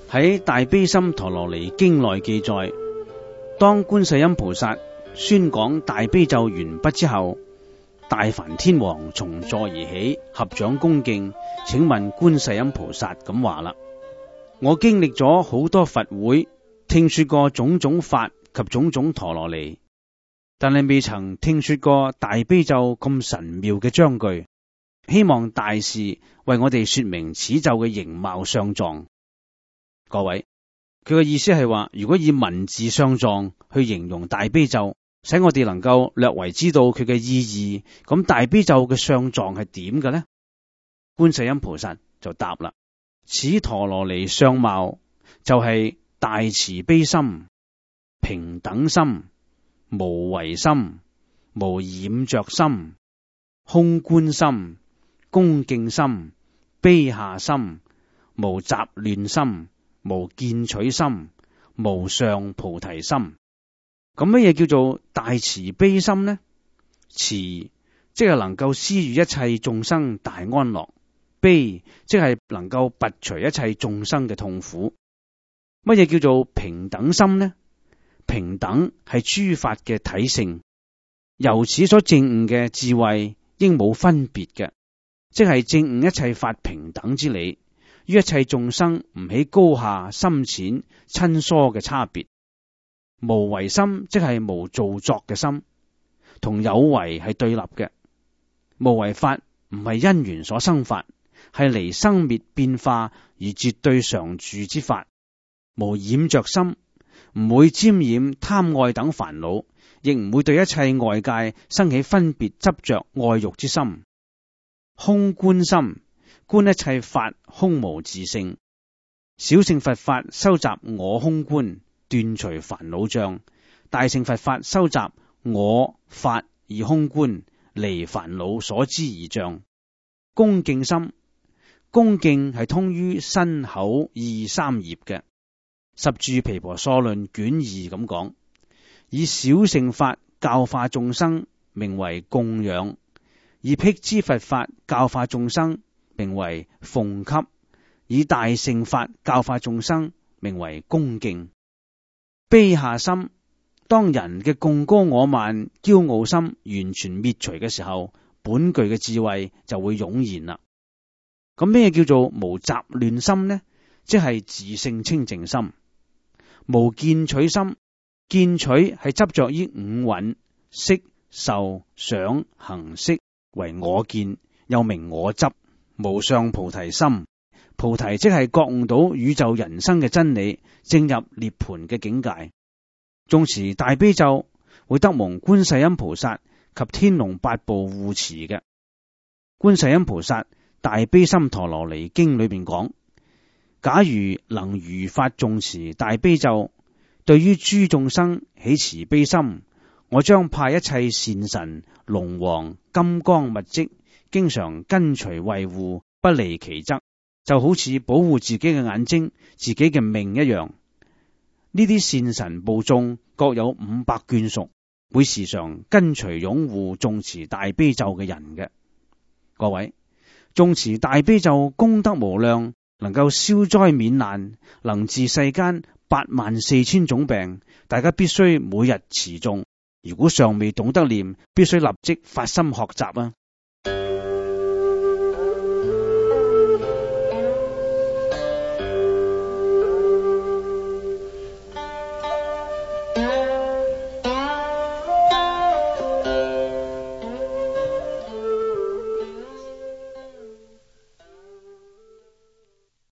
喺《大悲心陀羅尼經》內記載，當觀世音菩薩宣講大悲咒完畢之後，大梵天王從座而起，合掌恭敬，請問觀世音菩薩咁話啦：我經歷咗好多佛會，聽說過種種法及種種陀羅尼，但係未曾聽說過大悲咒咁神妙嘅章句，希望大士為我哋說明此咒嘅形貌相狀。各位，佢嘅意思係話，如果以文字相狀去形容大悲咒，使我哋能夠略為知道佢嘅意義，咁大悲咒嘅相狀係點嘅呢？觀世音菩薩就答啦：此陀羅尼相貌就係大慈悲心、平等心、無為心、無染着心、空觀心、恭敬心、卑下心、無雜亂心、無見取心、無上菩提心。咁乜嘢叫做大慈悲心呢？慈即係能夠施予一切眾生大安樂，悲即係能夠拔除一切眾生嘅痛苦。乜嘢叫做平等心呢？平等係諸法嘅體性，由此所證悟嘅智慧應冇分別嘅，即係證悟一切法平等之理，於一切眾生唔起高下深淺親疏嘅差別。無為心即係無造作嘅心，同有為係對立嘅。無為法唔係因緣所生法，係離生滅變化而絕對常住之法。無染着心，唔會沾染貪愛等煩惱，亦唔會對一切外界生起分別執着愛欲之心。空觀心，觀一切法空無自性。小乘佛法收集我空觀，斷除煩惱障；大乘佛法收集我法而空觀，離煩惱所知而障。恭敬心，恭敬係通於身口意三業嘅。十住毗婆娑論卷2咁講，以小乘法教化眾生，名為供養；以辟支佛法教化眾生，名為奉給；以大乘法教化眾生，名為恭敬。卑下心，當人嘅貢高我慢、驕傲心完全滅除嘅時候，本具嘅智慧就會湧現啦。咁咩叫做無雜亂心呢？即係自性清淨心。無見取心，見取係執着於五蘊色受想行識為我見，又名我執。無上菩提心，菩提即係覺悟到宇宙人生嘅真理，正入涅槃嘅境界。誦持大悲咒會得蒙觀世音菩薩及天龍八部護持嘅。觀世音菩薩大悲心陀羅尼經裏邊講，假如能如法誦持大悲咒，對於諸眾生起慈悲心，我將派一切善神、龍王、金剛密迹，經常跟隨衛護，不離其側，就好似保護自己嘅眼睛、自己嘅命一樣。呢啲善神部眾各有500眷屬，會時常跟隨擁護誦持大悲咒嘅人嘅。各位，誦持大悲咒功德無量，能夠消災免難，能治世間84000種病。大家必須每日持誦，如果尚未懂得念，必須立即發心學習啊！